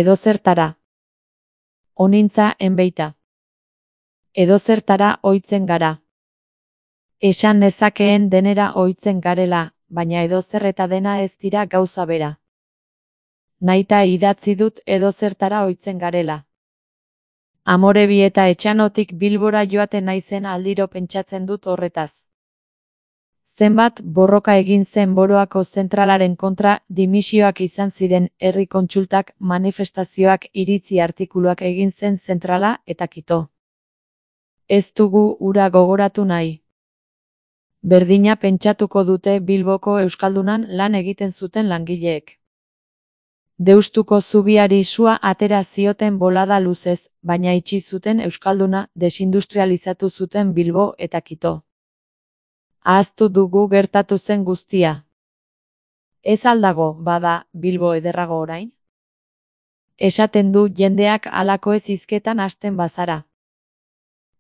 Edozertara. Onintza enbeita. Edozertara ohitzen gara. Esan nezakeen denera ohitzen garela, baina edozer eta dena ez dira gauza bera. Nahita idatzi dut edozertara ohitzen garela. Amorebi eta Etxanotik Bilbora joaten naizen aldiro pentsatzen dut horretaz. Zenbat borroka egin zen Boroako zentralaren kontra, dimisioak izan ziren, herri kontsultak, manifestazioak, iritzi artikuluak egin zen zentrala eta kito. Ez dugu hura gogoratu nahi. Berdina pentsatuko dute Bilboko Euskaldunan lan egiten zuten langileek. Deustuko zubiari sua atera zioten bolada luzez, baina itxi zuten Euskalduna, desindustrializatu zuten Bilbo eta Kito. Ahaztu dugu gertatu zen guztia. Ez aldago, bada, Bilbo ederrago orain? Esaten du jendeak halako ez hizketan hasten bazara.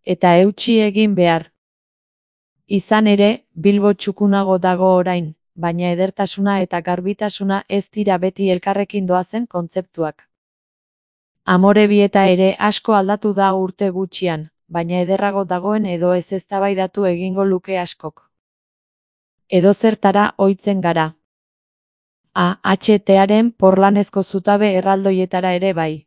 Eta eutsi egin behar. Izan ere, Bilbo txukunago dago orain, baina edertasuna eta garbitasuna ez dira beti elkarrekin doazen kontzeptuak. Amorebieta ere asko aldatu da urte gutxian, baina ederrago dagoen edo ez eztabaidatu egingo luke askok. Edozertara ohitzen gara. AHTaren porlanezko zutabe erraldoietara ere bai.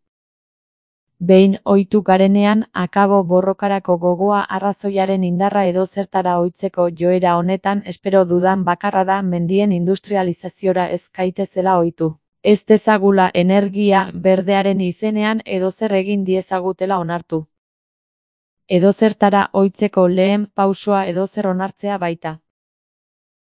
Behin ohitu garenean, akabo borrokarako gogoa arrazoiaren indarra edozertara ohitzeko joera honetan espero dudan bakarra da mendien industrializaziora ez gaitezela ohitu. Ez dezagula energia berdearen izenean edozer egin diezagutela onartu. Edozertara ohitzeko lehen pausoa edozer onartzea baita.